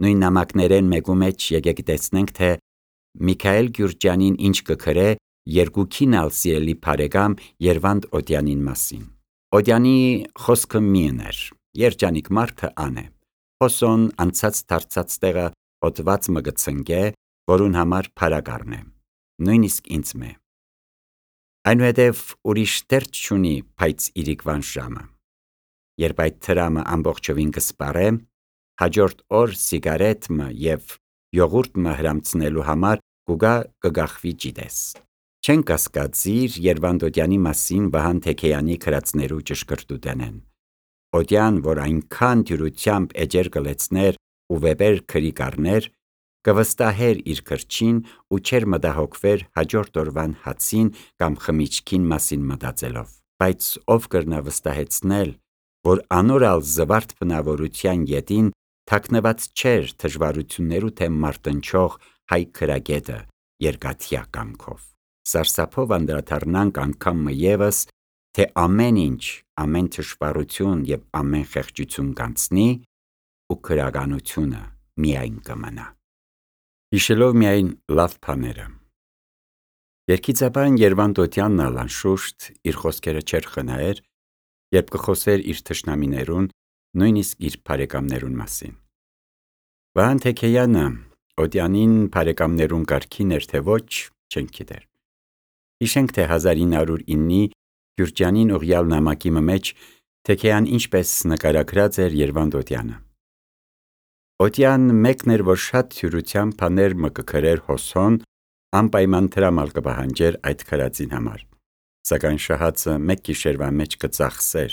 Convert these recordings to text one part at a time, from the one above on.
Նույն նամակներեն մեկու մեջ եկեք տեսնենք, թե Միքայել Գյուրջյանին ինչ կգրե երկուքին ալ սիրելի բարեկամ Երվանդ Օդյանին մասին։ Օդյանի խոսքը միըն էր, երջանիկ մարդը ան է։ Հոսոն անցած դարձած տեղը հոտված մը գցնգե, որուն համար փարագարն է, նույնիսկ ինձ մե։ Այնուհետև ուրիշ դերձ չունի, բայց իրիկվան ժամը։ Երբ այդ թրամը ամբողջովին կսպարե, հաջորդ օր սիգարետը և յոգուրտը հրամցնելու համար կուգա կգախվի ջիդես։ Չեն կասկածիր Երվանդ Օդյանի մասին Վահան Թեքեյանի գրածներու ճշգրտութենեն։ Օդյան, որ այնքան դյուրությամբ էջեր կլեցներ ու վեպեր գրի կառներ, կվստահեր իր գրչին ու չեր մտահոգվեր հաջորդ օրվան հացին կամ խմիչքին մասին մտածելով։ Բայց ով կրնա վստահեցնել, որ անորալ զվարթ բնավորության ետին թաքնված չէր դժվարություններու թեմ մարտնչող հայ գրագետը երկաթյա կամքով։ Սարսափով անդրադառնանք անգամ ևս, թե ամեն ինչ, ամեն դժվարություն և ամեն խեղճություն կանցնի ու գրականությունը միայն կմնա։ Հիշելով միայն լավ բաները։ Երգիծաբան Երվանդ Օդյանն ալ անշուշտ իր խոսքերը չէր խնայեր, երբ կխոսեր իր թշնամիներուն, նույնիսկ իր բարեկամներուն մասին։ Վահան Թեքեյանը Օդյանին բարեկամներուն կարգին էր, թե ոչ, չենք գիտեր։ Հիշենք, թե 1909-ի Գյուրջյանին ուղյալ նամակի մեջ Թեքեյան ինչպես նկարագրած էր Երվանդ Օդյանը։ Օդյան մեկն էր, որ շատ թյուրությամբ բաներ մը կգրեր հոսոն, անպայման դրամալ կպահանջեր այդ գրածին համար։ Սակայն շահածը մեկ գիշերվա մեջ կծախսեր,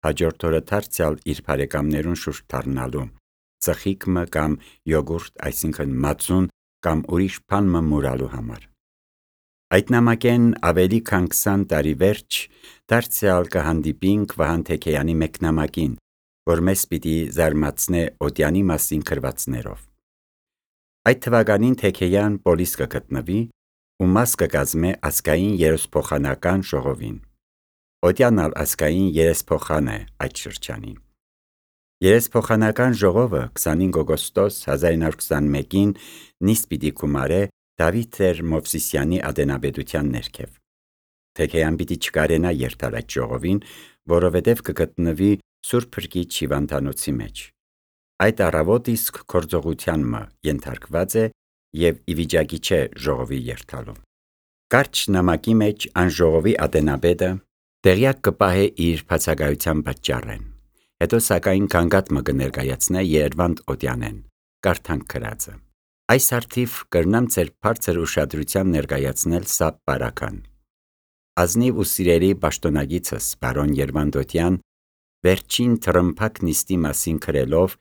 հաջորդ օրը դարձյալ իր բարեկամներուն շուրջ դառնալու, ծխիկը կամ յոգուրտ, այսինքն մածուն կամ ուրիշ բան մը մուրալու համար։ Այդ նամակեն ավելի քան 20 տարի վերջ դարձյալ կհանդիպինք Վահան Թեքեյանի մեկ նամակին, որ մեզ պիտի զարմացնե Օդյանի մասին գրվածներով։ Այդ թվականին Թեքեյան պոլիս կգտնվի ու մաս կկազմե ազգային երեսփոխանական ժողովին։ Օդյանն ալ ազգային երեսփոխան է այդ շրջանին։ Երեսփոխանական ժողովը 25 օգոստոս 1921-ին նիստ պիտի գումարե Դավիթ Տեր Մովսիսյանի ադենաբեդության ներքև։ Թեքեյան պիտի չկարենա երթալ այդ ժողովին, որովհետև կգտնվի Սուրբ Փրկիչ հիվանդանոցի մեջ։ Այդ առավոտ իսկ գործողության մը ենթարկված է և ի վիճակի չէ ժողովի երթալու։ Կարճ նամակի մեջ ան ժողովի ադենաբեդը տեղյակ կպահե իր բացակայության պատճառեն։ Հետո սակայն գանգատ մը կներկայացնե Երվանդ Օդյանեն, կարդանք գրածը։ Այս արդիվ կրնամ ձեր բարձր ուշադրության ներկայացնել սա պարական։ Ազնիվ ու սիրելի պաշտոնագիցս բարոն Երվանդ Օդյան վերջին թռմփակ նիստի մասին գրելով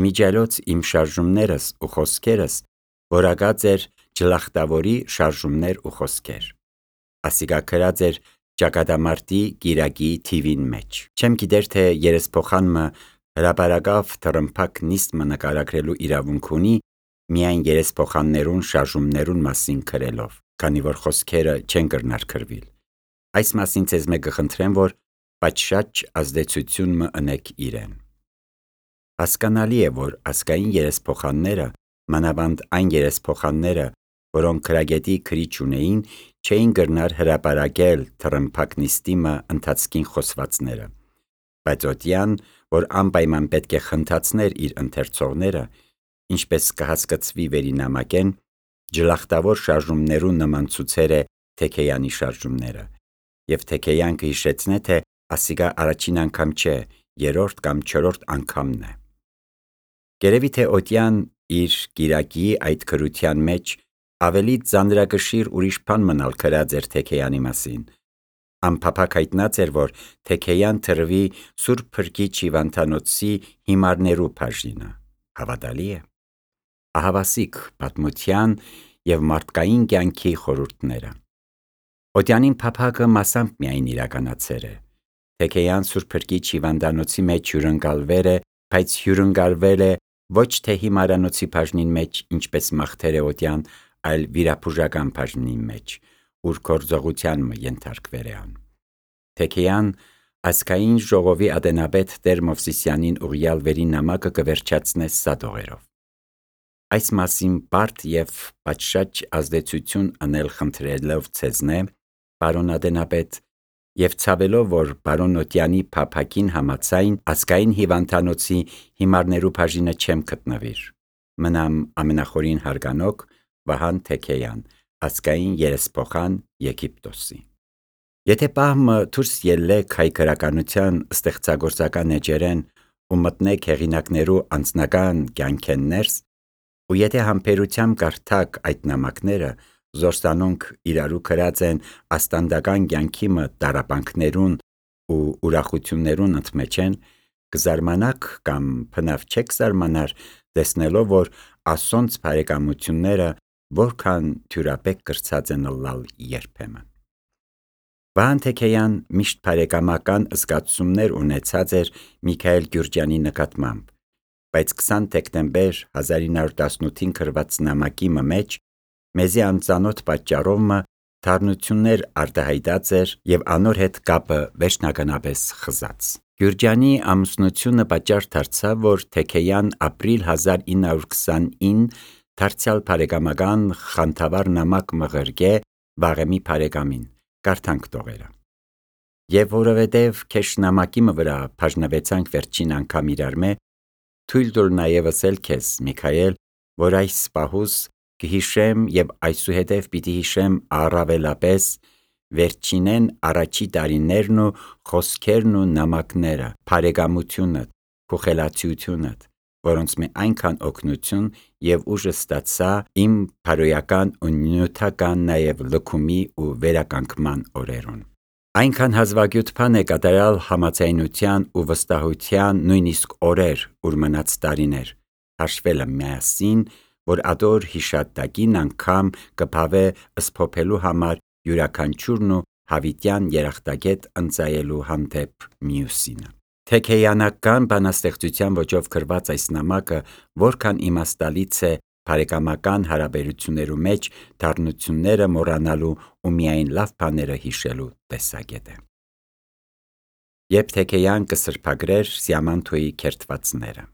իմիջիայլոց իմ շարժումներս ու խոսքերս որակած էր ջլախտավորի շարժումներ ու խոսքեր։ Ասիկա գրած էր ճակատամարտի գիրակի թիվին մեջ։ Չեմ գիտեր, թե երեսփոխանմը հրապարակավ թռմփակ նիստ մը նկարագրելու իրավունք ունի միայն երեսփոխաններուն շարժումներուն մասին գրելով, քանի որ խոսքերը չեն կրնար գրվել։ Այս մասին ձեզ մեկ կխնդրեմ, որ պատշաճ ազդեցություն մը ընեք իրեն։ Հասկանալի է, որ ազգային երեսփոխանները, մանավանդ այն երեսփոխանները, որոնք գրագետի քրիչ ունեին, չէին կրնար հրապարակել թռմփակ նիստի մը ընթացքին խոսվածները։ Բայց Օդյան, որ անպայման պետք է խնդացներ իր ընթերցողները, ինչպես կհասկացվի վերի նամակեն, ջլախտավոր շարժումներուն նման ցուցեր է Թեքեյանի շարժումները, և Թեքեյան կհիշեցնե, թե ասիկա առաջին անգամ չէ, երրորդ կամ չորրորդ անգամն է։ Գերևի թե Օդյան իր գիրակի այդ գրության մեջ ավելի ծանրակշիռ ուրիշ բան մնալ գրած էր Թեքեյանի մասին։ Անփափակ հայտնած էր, որ Թեքեյան թրվի Սուրբ Փրկիչ հիվանդանոցի հիմարներու բաժինը։ Հավատալի է։ Ահավասիկ պատմության և մարդկային կյանքի խորհուրդները։ Օդյանին փափակը մասամբ միայն իրականացեր է։ Թեքեյան Սուրբ Փրկիչ հիվանդանոցի մեջ հյուրընկալվել է, բայց հյուրընկալվել է ոչ թե հիմարանոցի բաժնին մեջ, ինչպես մաղթեր է Օդյան, այլ վիրաբուժական բաժնի մեջ, ուր գործողության մը ենթարկվել է ան։ Թեքեյան ազգային ժողովի ադենաբեդ Տեր Մովսիսյանին ուղյալ վերի նամակը կվերջացնե սա դողերով։ այս մասին բարդ և պատշաճ ազդեցություն անել խնդրելով ձեզնե, պարոն Ադենապետ, և ցավելով, որ պարոն Օտյանի փափագին համաձայն ազգային հիվանդանոցի հիմարներու բաժինը չեմ գտնվիր։ Մնամ ամենախորին հարգանոք Վահան Թեքեյան, ազգային երեսփոխան Եգիպտոսի։ Եթե պահմը դուրս ելլեք հայ գրականության ստեղծագործական էջերեն ու մտնեք հեղինակներու անձնական կյանքեն ներս, ու եթե համբերությամբ կարդաք այդ նամակները, զորսանոնք իրարու գրած են աստանդական կյանքի տառապանքներուն ու ուրախություններուն ընդմեջեն, կզարմանաք կամ բնավ չեք զարմանար տեսնելով, որ ասոնց բարեկամությունները որքան թյուրապեք կրծած են ըլլալ երբեմն։ Վահան Թեքեյան միշտ բարեկամական զգացումներ ունեցած էր Միքայել Գյուրջյանի նկատմամբ, բայց 20 դեկտեմբեր 1918-ին գրված նամակի մեջ մեզի անծանոթ պատճառով թարնություններ արտահայտած էր և անոր հետ կապը վերջնականապես խզած։ Գյուրջյանի ամուսնությունը պատճառ դարձավ, որ Թեքեյան ապրիլ 1929 դարձյալ բարեկամական խանդավառ նամակ մղերգե Վաղեմի բարեկամին, կարդանք տողերը։ Եվ որովհետև քեշ նամակի վրա բաժնվեցանք վերջին անգամ իրար մե, թույլ տուր նաև ըսել քեզ, Միքայել, որ այս պահուս կհիշեմ և այսուհետև պիտի հիշեմ առավելապես վերջինեն առաջի տարիներն ու խոսքերն ու նամակները, բարեկամությունդ, քու խելացիությունդ, որոնց մե այնքան օգնություն և ուժ ստացա իմ բարոյական ու նյութական նաև լքումի ու վերականգնման օրերուն։ Այնքան հազվագյուտ բան է կատարյալ համաձայնության ու վստահության նույնիսկ օրեր, ուր մնաց տարիներ, հաշվելը միասին, որ ադոր հիշատակին անգամ կփավե սփոփելու համար յուրաքանչյուրն ու հավիտյան երախտագետ ընծայելու հանդեպ մյուսինը։ Թեքեյանական բանաստեղծության ոճով գրված այս նամակը որքան իմաստալից է բարեկամական հարաբերություններու մեջ դառնությունները մոռանալու ու միայն լավ բաները հիշելու տեսակետ է։ Երբ Թեքեյան կսրբագրեր Սիամանթոյի քերթվածները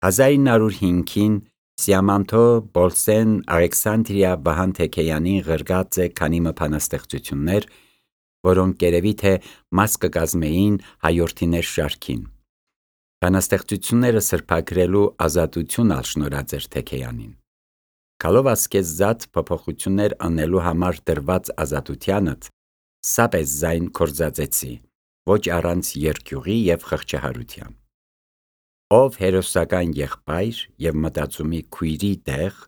1905-ին Սիամանթո Բոլսեն Ալեքսանդրիա Վահան Թեքեյանին գրած է քանի բանաստեղծություններ, որոնք երևի թե մաս կկազմեին հայորդիներ շարքին։ Բանաստեղծությունները սրբագրելու ազատություն ալ շնորհած էր Թեքեյանին։ Գալով ասկեզզատ փոփոխություններ անելու համար դրված ազատությանդ, սապես զայն կործածեցի, ոչ առանց երկյուղի և խղճահարության։ Ով հերոսական եղբայր և մտածումի քույրի տեղ,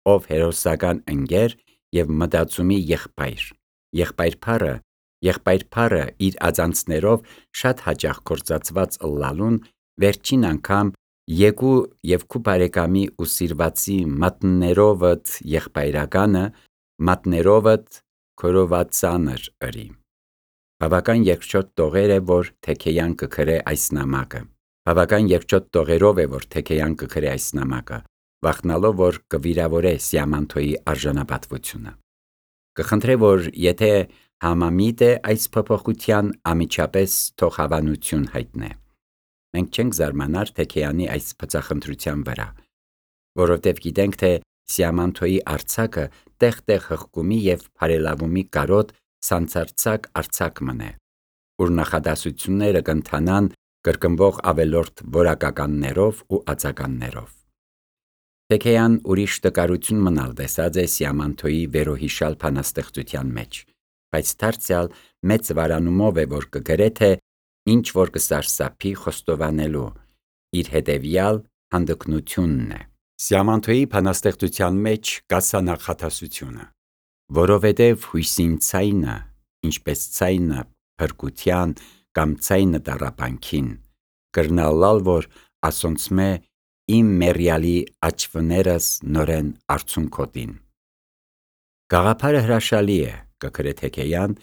ով հերոսական ընկեր և մտածումի եղբայր, եղբայր բառը իր ածանցներով շատ հաճախ գործածված ըլլալուն վերջին անգամ եկու և քու բարեկամի ու սիրվածի մատներովդ եղբայրականը մատներովդ քորովածանր ըրի։ Բավական երկչոտ տողեր է, որ Թեքեյան կգրե այս նամակը։ Բավական երկչոտ տողերով է, որ Թեքեյան կգրե այս նամակը, վախնալով, որ կվիրավորե Սիամանթոյի արժանապատվությունը։ Կխնդրե, որ եթե համամիտ է այս փոփոխության, անմիջապես թող հավանություն հայտնե։ Մենք չենք զարմանար Թեքեյանի այս բծախնդրության վրա, որովհետև գիտենք, թե Սիամանթոյի արձակը տեղ-տեղ հղկումի և բարելավումի կարոտ սանձարձակ արձակ մնե, ուր նախադասությունները կընթանան կրկնվող ավելորդ որակականներով ու արձականներով։ Թեքեյան ուրիշ տկարություն մնալ տեսած է Սիամանթոյի վերոհիշալ բանաստեղծության մեջ, բայց դարձյալ մեծ վարանումով է, որ կգրե, թե ինչ որ կսարսափի խոստովանելու, իր հետևյալ հանդգնությունն է։ Սիամանթոյի բանաստեղծության մեջ կա սա նախադասությունը. որովհետև հույսին ցայնը, ինչպես ցայնը փրկության կամ ցայնը տառապանքին, կրնալալ, որ ասոնցմե իմ մեռյալի աչվներս նորեն արցունքոտին։ Գաղափարը հրաշալի է, կգրե Թեքեյան,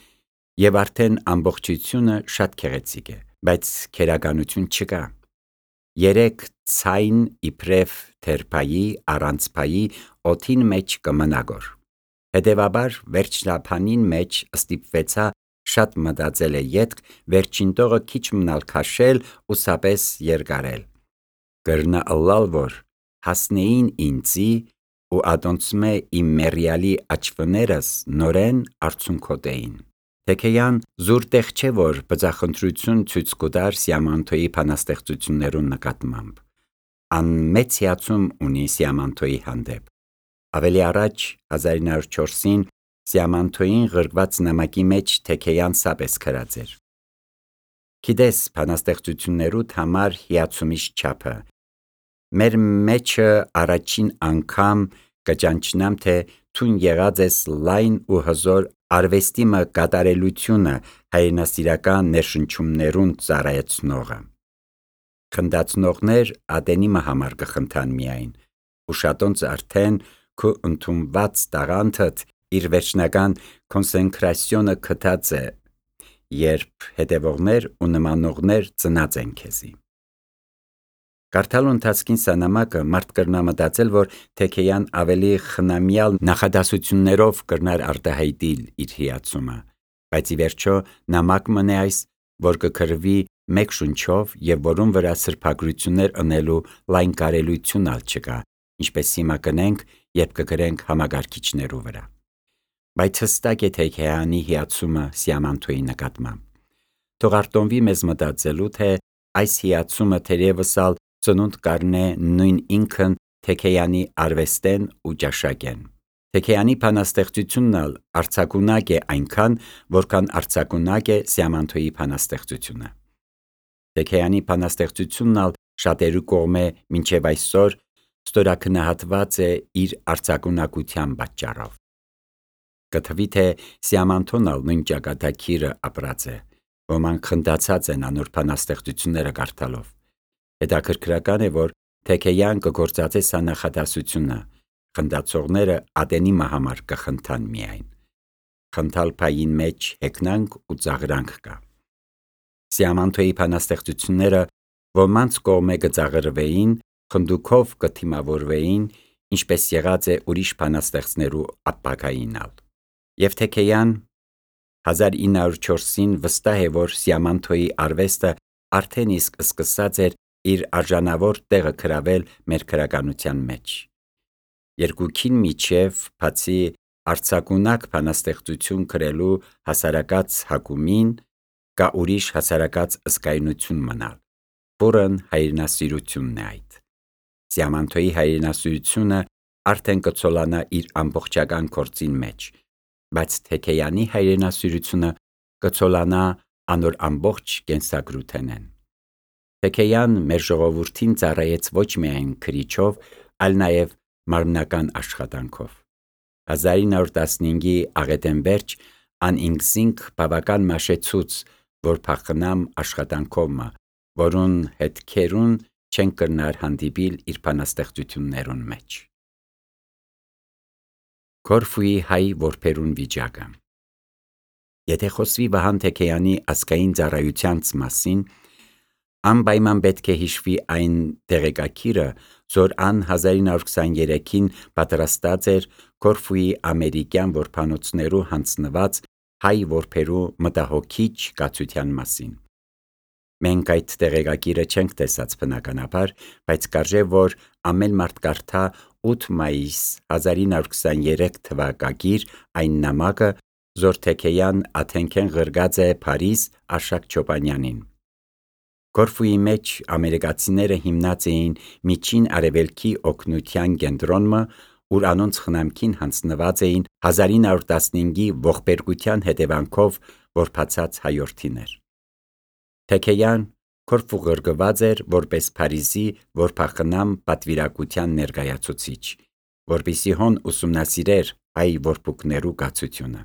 և արդեն ամբողջությունը շատ գեղեցիկ է, բայց քերականություն չկա։ Երեք ցայն իբրև թերփայի, առանցփայի օդին մեջ կմնագոր։ Հետևաբար վերջնաբանին մեջ ստիպվեցա շատ մտածել է ետք վերջին տողը քիչ մնալ քաշել ու սապես երկարել։ Կրնա ըլլալ, որ հասնեին ինձի ու ադոնցմե իմ մեռյալի աչվներս նորեն արցունքոտեին։ Թեքեյան զուր տեղ չէ, որ բծախնդրություն ցույց կտար Սիամանթոյի բանաստեղծություններուն նկատմամբ։ Ան մեծ հիացում ունի Սիամանթոյի հանդեպ։ Ավելի առաջ 1904-ին Սիամանթոյին գրված նամակի մեջ Թեքեյան սապես գրած էր. «Գիտես բանաստեղծություններուդ համար հիացումից չափը։ Մեր մեջը առաջին անգամ կճանչնամ, թե թուն եղած ես լայն ու հզոր արվեստի մը կատարելությունը հայրենասիրական ներշնչումներուն ծառայեցնողը։ Խնդացնողներ ադենի մը համար կխնդան միայն, ու շատոնց արդեն քո ընդունված տաղանդդ իր վերջնական կոնսենկրասիոնը գտած է, երբ հետևողներ ու նմանողներ ծնած են քեզի»։ Կարդալու ընթացքին սա նամակը մարդ կրնա մտածել, որ Թեքեյան ավելի խնամյալ նախադասություններով կրնար արտահայտիլ իր հիացումը, բայց ի վերջո նամակ մնե այս, որ կգրվի մեկ շունչով և որում վրա սրբագրություններ ընելու լայն կարելություն ալ չկա, ինչպես հիմա կնենք, երբ կգրենք համակարգիչներու վրա։ Բայց հստակ է Թեքեյանի հիացումը Սիամանթոյի նկատմամբ։ Թող արտոնվի մեզ մտածելու, թե այս հիացումը թերևս ալ ծնունդ կառնե նույն ինքն Թեքեյանի արվեստեն ու ճաշակեն։ Թեքեյանի բանաստեղծությունն ալ արձակունակ է այնքան, որքան արձակունակ է Սիամանթոյի բանաստեղծությունը։ Թեքեյանի բանաստեղծությունն ալ շատերու կողմէ մինչև այսօր ստորաքննահատված է իր արձակունակության պատճառով։ Կթվի, թե Սիամանթոն ալ նույն ճակատագիրը ապրած է, ոմանք խնդացած են անոր բանաստեղծությունները կարդալով։ Հետաքրքրական է, որ Թեքեյան կգործածե սա նախադասությունը. խնդացողները ադենի մը համար կխնդան միայն։ Խնդալ փային մեջ հեգնանք ու ծաղրանք կա։ Սիամանթոյի բանաստեղծությունները ոմանց կողմէ կծաղրվեին, խնդուքով կթիմավորվեին, ինչպես եղած է ուրիշ բանաստեղծներու ապագային ալ։ Եվ Թեքեյան 1904-ին վստահ է, որ Սիամանթոյի արվեստը արդեն իսկ սկսած էր իր արժանավոր տեղը գրավել մեր գրականության մեջ։ Երկուքին միջև, բացի արձակունակ բանաստեղծություն գրելու հասարակած հակումին, կա ուրիշ հասարակած ըսկայնություն մնալ, որն հայրենասիրությունն է այդ։ Սիամանթոյի հայրենասիրությունը արդեն կցոլանա իր ամբողջական գործին մեջ, բայց Թեքեյանի հայրենասիրությունը կցոլանա անոր ամբողջ կենսագրութենեն։ Թեքեյան մեր ժողովուրդին ծառայեց ոչ միայն գրիչով, այլ նաև մարմնական աշխատանքով։ 1915-ի աղետեն վերջ ան ինքզինք բավական մաշեցուց, որ փախնամ աշխատանքով մը, որուն հետքերուն չեն կրնար հանդիպիլ իր բանաստեղծություններուն մեջ։ Քորֆուի հայ որբերուն վիճակը։ Եթե խոսվի Վահան Թեքեյանի ազգային ծառայությանց մասին, անպայման պետք է հիշվի այն տեղեկագիրը, որ ան 1923-ին պատրաստած էր Քորֆուի ամերիկյան որբանոցներու հանձնված հայ որբերու մտահոգիչ կացության մասին։ Մենք այդ տեղեկագիրը չենք տեսած բնականաբար, բայց կարժե որ ամեն մարդ կարդա 8 մայիս 1923 թվակագիր այն նամակը, որ Թեքեյան աթենքեն գրգած է Փարիզ Արշակ Չոպանյանին։ Քորֆուի մեջ ամերիկացիները հիմնած էին Միջին Արևելքի օգնության կենտրոնը, ուր անոնց խնամքին հանձնված էին 1915-ի ողբերգության հետևանքով որբացած հայորդիներ։ Թեքեյան Քորֆու գրգված էր որպես Փարիզի որբախնամ պատվիրակության ներկայացուցիչ, որպեսզի հոն ուսումնասիրեր հայ որբուքներու կացությունը։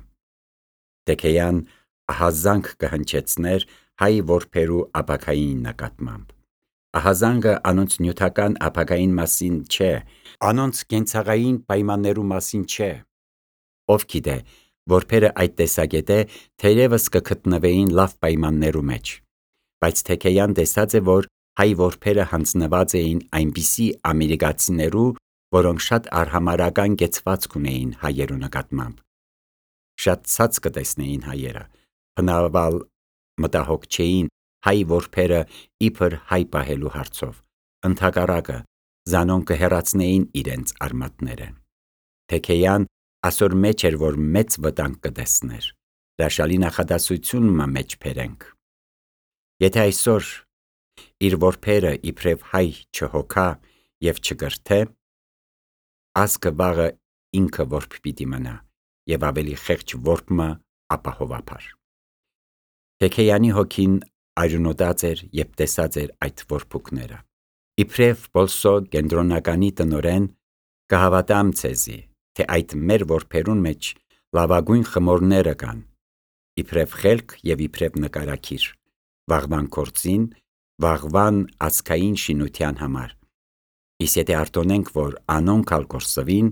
Թեքեյան ահազանգ կհնչեցներ հայ որբերու ապագային նկատմամբ։ Ահազանգը անոնց նյութական ապագային մասին չէ, անոնց կենցաղային պայմաններու մասին չէ։ Ով գիտե, որբերը այդ տեսակետե թերևս կգտնվեին լավ պայմաններու մեջ, բայց Թեքեյան տեսած է, որ հայ որբերը հանձնված էին այնպիսի ամերիկացիներու, որոնք շատ արհամարհական կեցվածք ունեին հայերու նկատմամբ։ Շատ ցած կտեսնեին հայերը, բնավալ մտահոգ չէին հայ որբերը իբր հայ պահելու հարցով, ընդհակառակը զանոն կհեռացնեին իրենց արմատները։ Թեքեյան ասոր մեջ էր, որ մեծ վտանգ կտեսներ, հրաշալի նախադասություն մը մեջ բերենք։ Եթե այսօր իր որբերը իբրև հայ չհոգա և չգրթե, ազգը վաղը ինքը որբ պիտի մնա և ավելի խեղճ որբը ապահովափար։ Թեքեյանի հոգին այրունոտած էր և տեսած էր այդ որբուկները։ Իբրև Պոլսո կենտրոնականի տնօրեն կհավատամ ցեզի, թե այդ մեր որբերուն մեջ լավագույն խմորները կան, իբրև խելք և իբրև նկարակիր, վաղվան գործին, վաղվան ազգային շինության համար։ Իսկ եթե արտոնենք, որ անոնք ալ կորսվին,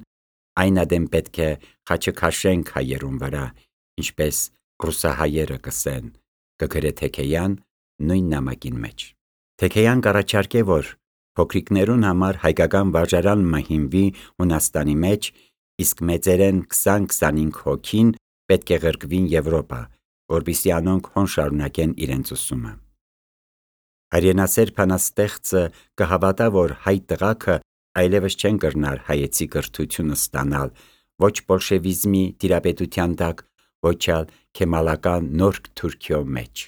այն ադեմ պետք է խաչքաշենք հայերուն վրա, ինչպես ռուսահայերը կսեն, կգրե Թեքեյան նույն նամակին մեջ։ Թեքեյան կառաջարկե, որ փոքրիկներուն համար հայկական վարժարան մը հիմնվի Հունաստանի մեջ, իսկ մեծերեն 20-25 հոգին պետք է ղրկվին Եվրոպա, որպեսզի անոնք հոն շարունակեն իրենց ուսումը։ Հայրենասեր բանաստեղծը կհավատա, որ հայ տղաքը այլևս չեն կրնար հայեցի կրթությունը ստանալ ոչ բոլշևիզմի տիրապետության տակ, ոչ ալ քեմալական նոր Թուրքիո մեջ։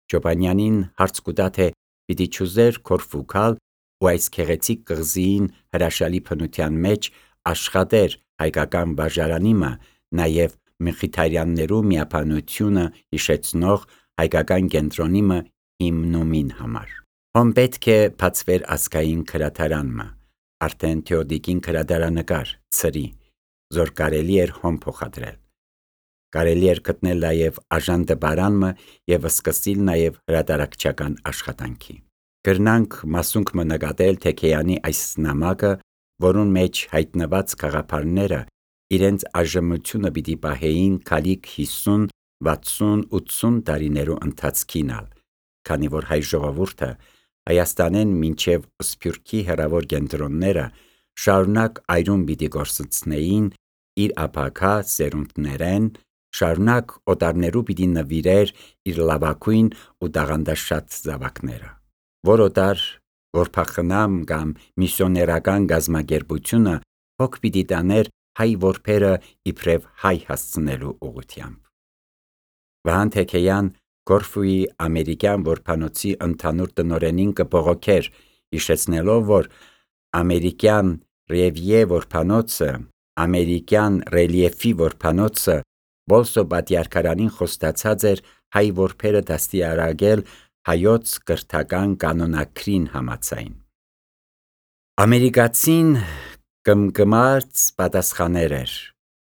Չոբանյանին հարց կուտա, թե պիտի չուզեր Քորֆու գալ ու այս գեղեցիկ կղզիին հրաշալի բնության մեջ աշխատեր հայկական վարժարանի մը, նաև Մխիթարյաններու միաբանությունը հիշեցնող հայկական կենտրոնի մը հիմնումին համար։ Հոն պետք է բացվեր ազգային գրադարան մը, արդեն Թեոդիկին գրադարանկար, ծրի, զոր կարելի էր հոն փոխադրել։ Կարելի էր գտնել նաև աժանդբարան մը և սկսիլ նաև հրատարակչական աշխատանքի։ Կրնանք մասունք մը նկատել Թեքեյանի այս նամակը, որուն մեջ հայտնված գաղափարները իրենց այժմությունը պիտի պահեին քալիք 50, 60, 80 տարիներու ընթացքին ալ, քանի որ հայ ժողովուրդը Հայաստանեն մինչև Սփյուռքի հեռավոր կենտրոնները շարունակ այրուն պիտի գործընծնեին իր ապագա սերունդներեն, շարունակ օտարներու պիտի նվիրեր իր լավագույն ու տաղանդաշատ զավակները, որ օտար որբախնամ կամ միսիոներական գազմագերբությունը հոգ պիտի տաներ հայ որբերը իբրև հայ հասցնելու ուղղությամբ։ Վահան Թեքեյան Կորֆուի ամերիկյան որբանոցի ընդհանուր տնօրենին կբողոքեր, հիշեցնելով, որ ամերիկյան Ռևիե որբանոցը, ամերիկյան ռելիեֆի որբանոցը Բոլսո պատիարքարանին խոստացած էր հայ որբերը դաստիարակել հայոց կրթական կանոնակրին համաձայն։ Ամերիկացին կմկմաց պատասխաներ էր.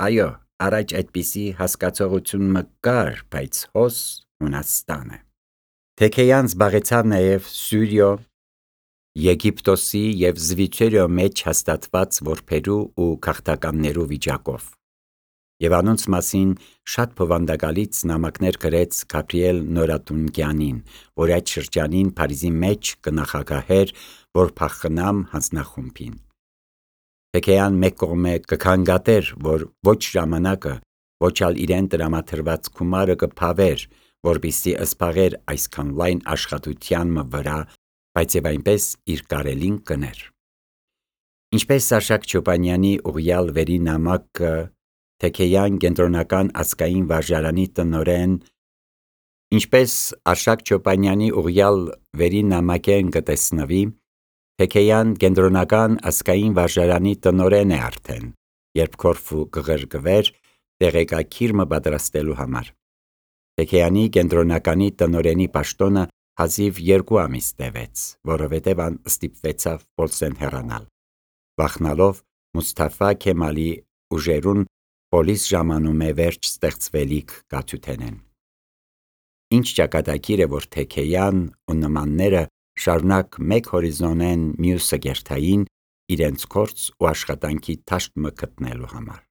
այո, առաջ այդպիսի հասկացողություն մը կար, բայց հոս Հունաստանը։ Թեքեյան զբաղեցավ նաև Սյուրիո, Եգիպտոսի և Զվիթերիո մեջ հաստատված որբերու ու քաղաքականներու վիճակով, և անոնց մասին շատ բովանդակալից նամակներ գրեց Գաբրիել Նորատունկյանին, որ այդ շրջանին Փարիզի մեջ կնախագահեր որբախնամ հանձնախումբին։ Թեքեյան մեկ կողմէ կքննադատեր, որ ոչ ժամանակը, ոչ ալ իրեն տրամադրված գումարը կփավեր, որպեսզի զբաղեր այսքան լայն աշխատության մը վրա, բայց և այնպես իր կարելին կներ։ Ինչպես Արշակ Չոբանյանի ուղղյալ վերի նամակը Թեքեյան կենտրոնական ազգային վարժարանի տնօրեն, ինչպես Արշակ Չոբանյանի ուղղյալ վերի նամակեն կտեսնվի, Թեքեյան կենտրոնական ազգային վարժարանի տնօրեն է արդեն, երբ Քորֆու կղրկվեր տեղեկագիր մը պատրաստելու համար։ Թեքեյանի կենտրոնականի տնօրենի պաշտոնը հազիվ 2 ամիս տևեց, որովհետև ան ստիպվեցավ Պոլսեն հեռանալ, վախնալով Մուսթաֆա Քեմալի ուժերուն պոլիս ժամանումե վերջ ստեղծվելիք կաթութենեն։ Ինչ ճակատագիր է, որ Թեքեյան ու նմանները շարունակ մեկ հորիզոնեն մյուսը գերթային իրենց գործ ու աշխատանքի դաշտ մը գտնելու համար։